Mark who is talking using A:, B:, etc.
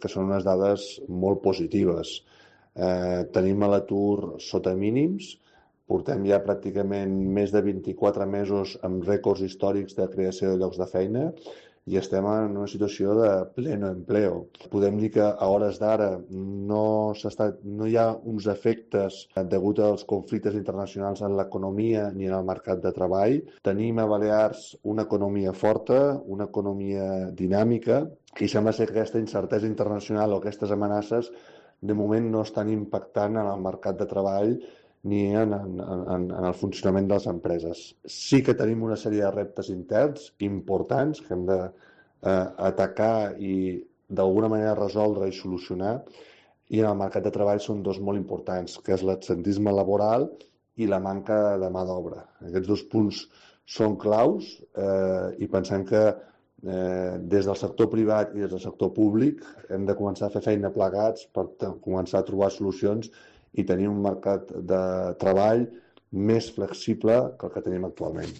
A: que són unes dades molt positives. Tenim a l'atur sota mínims, portem ja pràcticament més de 24 mesos amb rècords històrics de creació de llocs de feina i estem en una situació de pleno empleo. Podem dir que a hores d'ara no hi ha uns efectes degut als conflictes internacionals en l'economia ni en el mercat de treball. Tenim a Balears una economia forta, una economia dinàmica, i sembla ser que aquesta incertesa internacional o aquestes amenaces de moment no estan impactant en el mercat de treball ni en el funcionament de les empreses. Sí que tenim una sèrie de reptes interns importants que hem d'atacar i d'alguna manera resoldre i solucionar, i en el mercat de treball són dos molt importants, que és l'absentisme laboral i la manca de mà d'obra. Aquests dos punts són claus i pensem que des del sector privat i des del sector públic hem de començar a fer feina plegats per començar a trobar solucions i tenir un mercat de treball més flexible que el que tenim actualment.